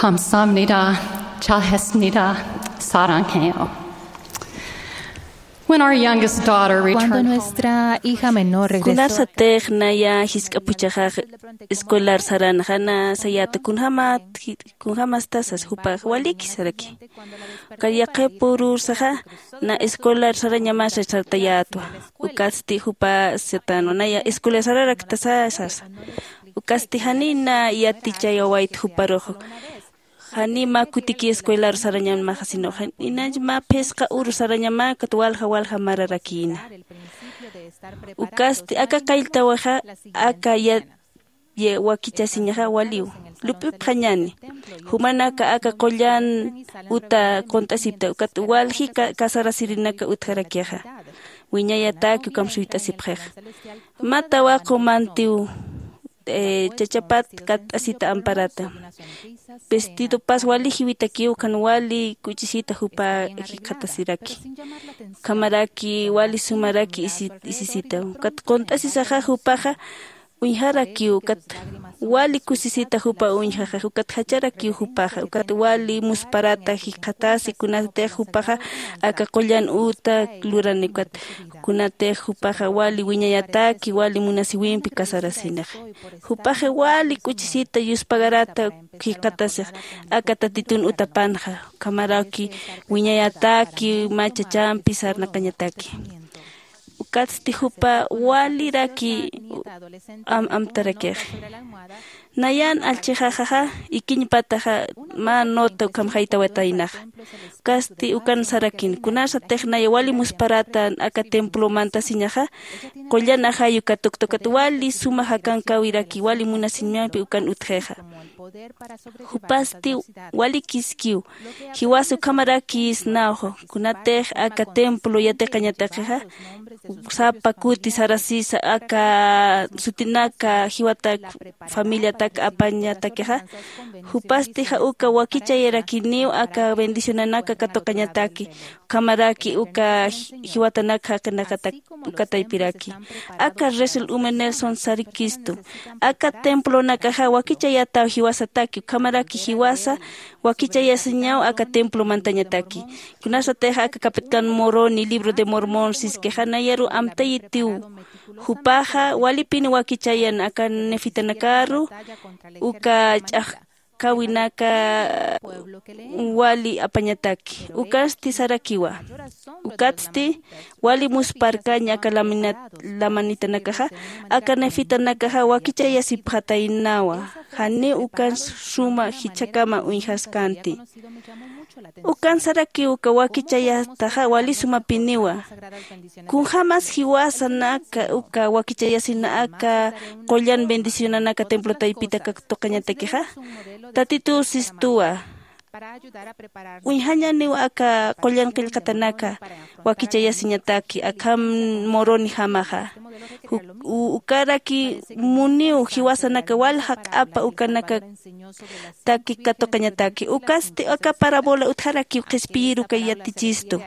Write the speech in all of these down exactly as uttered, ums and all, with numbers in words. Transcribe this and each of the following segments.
Kamsamnira, chahesnira, sarangeyo. When our youngest daughter Cuando returned home, nuestra hija menor regresó a Kunasatix naya jisk'apuchaxax escolar saranxa na sayata kunjamat kunjamastasas jupax walikisaraki. Kayaqipurursaxa na escolar sarañamasa sartayatwa. Ukatsti jupa satanwa naya escolar sararaktasa sasa. Ukatsti janina yatichayawayt juparuxu. Jani mä kutiki escuelaru sarañamaxa sino janina mä phisqa uru sarañamäkat walja walja mararakïna. Ukatsti aka qalltawixa aka ya wakichasiñaxa waliw lup'ipxañani. Jumanaka aka qullan uta qunt'asipta ukat walji casarasirinak utjarakixa. Wiñayataki ukham suyt'asipxixa. Mä tawaqu mantiw chachapat katt'asita amparata. Vestidopas wali jiwitakiw ukhan wali k'uchisita jupa jikxatasiraki. Ukhamaraki wali sumaraki isisita ukat qunt'asisaxa jupaxa uñjarakiw ukat wali kusisita jupa uñjaxax ukat jacharakiw jupaxa ukat wali musparata jikxatasi kunatix jupaxa aka qullan uta lurani ukat kunatix jupaxa wali wiñayataki wali munasiwimpi casarasinaxa. Jupaxa wali k'uchisita yuspagarata jikxatasix aka tatitun utapanxa ukhamaraki wiñayataki mä chachampi sarnaqañataki. Ukatsti jupa waliraki amtarakix. Nayan allchixaxaxa ikiñpataxa mä nota ukham jaytawataynaxa. Ukatsti ukan sarakin kunasatix naya wali musparata aka templo mantasiñaxa qullan ajayu katukt'ukat wali suma jakankawiraki wali munasiñampi ukan utjixa. Jupasti walikiskiw jiwasa ukhamaraki isnawxa kunatix aka templo yatiqañatakixa sapa kuti sarasisa aka sutinaka jiwatak familiatak apañatakixa. Jupastixa uka wakichayarakiniw aka bendicionanaka katuqañataki ukhamaraki uka jiwatanak jaqinakatak uka taypiraki. Aka resel ume nelson sarikistu aka templonakaxa wakichayataw jiwasataki ukhamaraki jiwasa wakichayasiñaw aka templo mantañataki. Kunasatix aka capitán moroni libro de mormón siskixa nayaru amtayitiw. Jupaxa walipini wakichayan aka nefitanakaru uka ch'axkawinaka wali apañataki ukasti sarakiwa. Ukatsti wali musparkaña aka lamanitanakaxa aka nefitanakaxa wakichayasipxataynawa. Janiw ukan suma jichhakama uñjaskanti. Ukan sarakiw uka wakichayataxa wali sumapiniwa. Kunjämas jiwasanaka uka wakichayasina aka qullan bendicionanaka templo taypita katuqañatakixa. Tatituw sistuwa uñjañaniw aka qullan qillqatanaka wakichayasiñataki akham moronijamaxa. Ukaraki muniw jiwasanaka walja q'apa ukanaka taki katuqañataki ukasti aka parabola utjarakiw qhispiyiru kay yatichistu.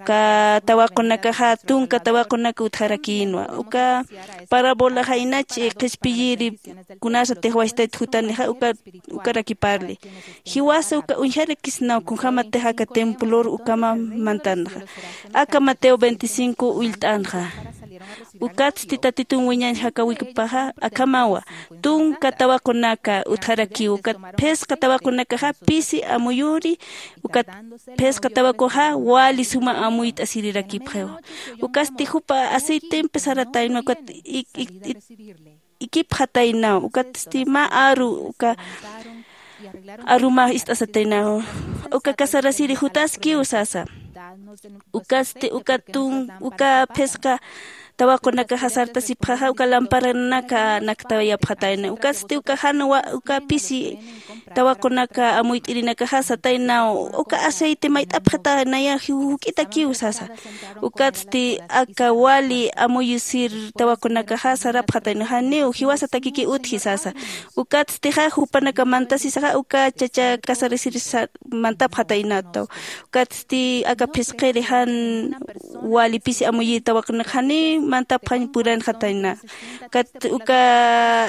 Uka tawaqunakaxa tunka tawaqunaka utjarakïnwa uka parabolaxa inach qhispiyiri kunasatix wastayt jutanixa ukaraki parli. Jiwasa uka uñjarakisnaw kunjämatix aka templor ukhama mantanxa aka mateo veinticinco ullt'anxa. Ukatsti tatitun wiñañ jakawikpaxa akhamawa tunka tawaqunaka utjarakiw ukat phisqa tawaqunakaxa pisi amuyuri ukat phisqa tawakuxa wali suma amuyt'asirirakipxiw. Ukatsti jupa aceitempi saratayna ukat ikipxataynaw ukatsti mä aru uka arumax ist'asataynaw uka casarasiri jutaskiw sasa. Ukatsti uka tun uka phisqa tawaqunakaxa sartasipxaxa uka lamparanaka naktawayapxatayna ukatsti uka jan uka pisi tawaqunaka amuyt'irinakaxa sataynaw uka aceite mayt'apxataynayax juk'itakiw sasa. Ukatsti aka wali amuyusir tawaqunakaxa sarapxatayna janiw jiwasatakiki utji sasa. Ukatstixa jupanaka mantasisaxa uka chacha casarasiri mantapxataynataw. Ukatsti aka phisqiri jan wali pisi amuyir tawaqunaka janiw mantapxañ puranxatayna. Ukat uka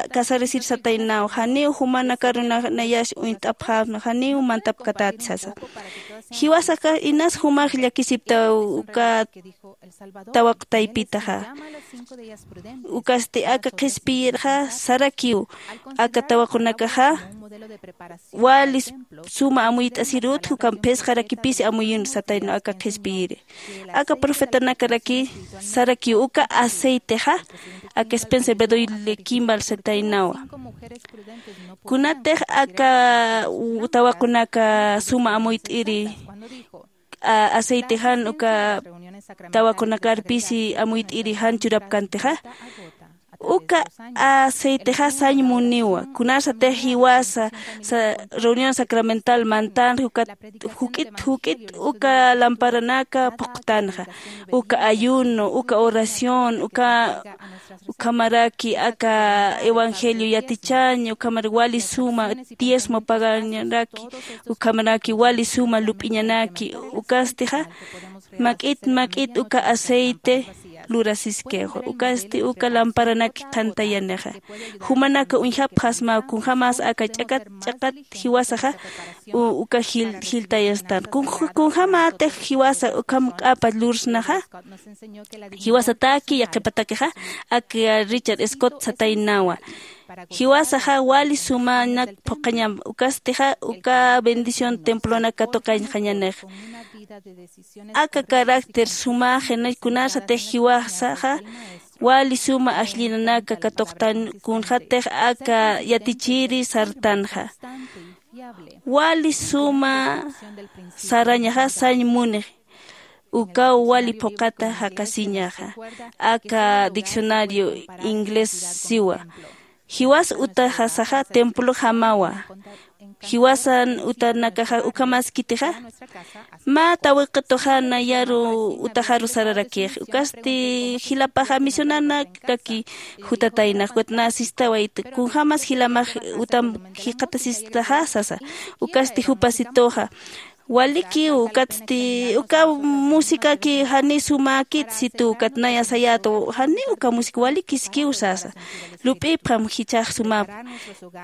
casarasiri sataynaw janiw jumanakaruna uñt'apxäpna janiw mantapkatäti sasa. Jiwasaxa inas jumax llakisipta uka tawaqtaypitaxa. Ukasti aka qhispiyirxa sarakiw aka tawaqunakaxa wali suma amuyt'asirut jukam phisqarakipisi amuyun satayna aka qhispiyiri. Aka profetanakaraki sarakiw uka aceitexa aka spencer bedoy kimbal sataynawa. Kunatix aka tawaqunaka suma amuyt'iri aceite jan uka tawaqunakar pisi amuyt'iri jan churapkantixa, uka aceitexa sañ muniwa. Kunasatix jiwasa reunión sacramental mantanxa ukat juk'it juk'it uka lamparanaka phuqtanxa, uka ayuno, uka oración, uka ukhamaraki aka evangelio yatichaña ukhamar wali suma diezmo pagañanaki, ukhamaraki wali suma lup'iñanaki. Ukastixa mak'it mak'it uka aceite lurasiskixwa. Ukasti uka lamparanaki qhantayanixa. Jumanaka uñjapxasmaw kunjämas aka ch'akat ch'akat jiwasaxa uka jiltayastan. Kunjämätix jiwasa ukham q'apa lursnaxa, jiwasataki yaqhipatakixa aka richard scott sataynawa. Jiwasaxa wali sumanak phuqhañam ukastixa uka bendición templonak katuqañxañanix. Aka carácter sumaxinay kunasatix jiwasaxa wali suma ajllinanaka katuqtan kunxatix aka yatichiri sartanxa. Wali suma sarañaxa sañ munix ukaw wali phuqhata jaqasiñaxa. Aka diccionario inglés siwa. Jiwas utaxasaxa templo jamawa. Jiwasan utanakaxa ukhamaskitixa mä tawiqituxa nayaru utaxaru sararakix ukasti jilapaxa misionanaraki jutataynax ukat nä sistawayta kunjämas jilamax utam jikxatasistaxa sasa. Ukasti jupasituxa walikiw ukatsti uka musicaki janiw sumäkit situ ukat naya sayäta janiw uka música walikiskiw sasa. Lup'ipxam jichhax sumap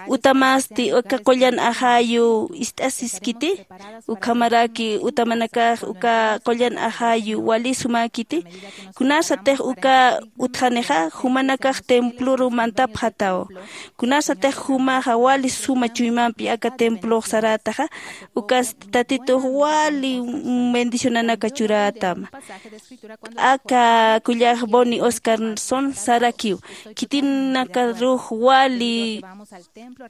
utamasti uka qullan ajayu ist'asiskiti ukhamaraki utamanakax uka qullan ajayu wali sumäkiti. Kunasatix uka utjanixa jumanakax temploru mantapxataw. Kunasatix jumaxa wali suma chuymampi aka templox sarätaxa ukasti tatitux wali bendicionanaka churätama. Aka kullax boni oscarson sarakiw khitinaka rux wali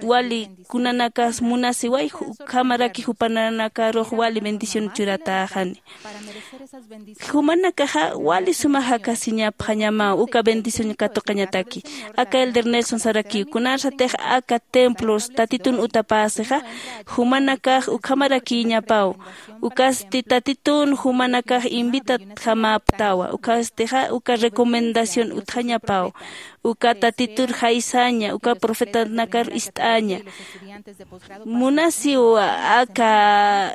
wali kunanakas munasiway ukhamaraki jupananakarux wali bendición churatäxani. Jumanakaxa wali suma jakasiñapxañamaw uka bendición katuqañataki. Aka elder nelson sarakiw kunasatix aka templos tatitun utapäsixa jumanakax ukhamarakïñapaw. Ukasti tatitun jumanakax invitatjamäptawa ukastixa uka recomendación utjañapaw. Uka tatitur jaysaña uka profetanakar ist'aña. Munasiw aka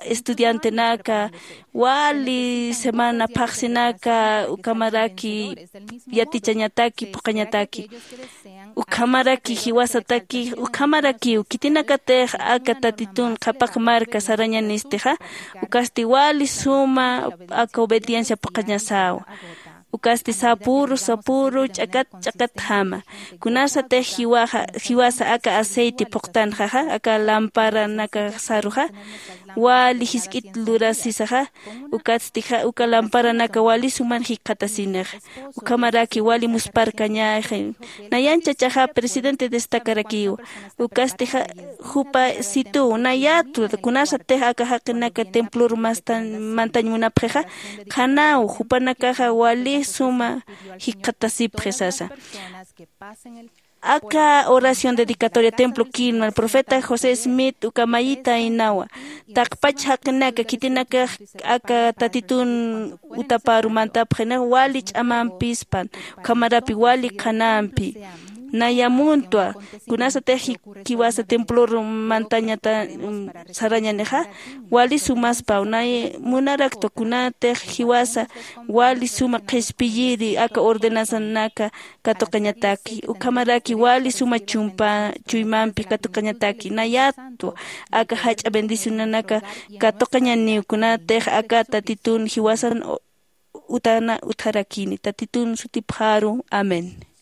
estudiantenaka wali semana phaxsinaka ukhamaraki yatichañataki phuqhañataki. Ukhamaraki jiwasataki ukhamarakiw khitinakatix aka tatitun qhapaq marka sarañanistixa ukasti wali suma aka obediencia phuqhañasäwa. Ukasti sapüru sapüru ch'akat ch'akatjama. Kunasatix jiwasa aka aceite phuqtanxaxa aka lamparanakasaruxa wali jisk'it lurasisaxa. Ukatstixa uka lamparanaka wali suman jikxatasinixa. Ukhamaraki wali musparkañäxi. Nayan chachaxa presidente destacarakiwa. Ukastixa jupa situw nayätu kunasatix aka jaqinaka templor mantañ munapxixa qhanaw jupanakaxa wali suma jikxatasipxi sasa. Aka oración dedicatoria templo kinman profeta josé smith uka mayita inawa. Taqpach jaqinaka khitinakax aka tatitun utaparu mantapxinix wali ch'amampispan ukhamarapi wali qhanampi. Naya muntwa kunasatix jiwasa templor mantañata sarañanixa, wali sumaspaw nay munaraktwa kunatix jiwasa wali suma qhispiyiri aka ordenanzanaka katuqañataki ukhamaraki wali suma chumpa chuymampi katuqañataki nayatwa aka jach'a bendicionanaka katuqañaniw kunatix aka tatitun jiwasan utana utjarakini tatitun sutipxaru. Amén.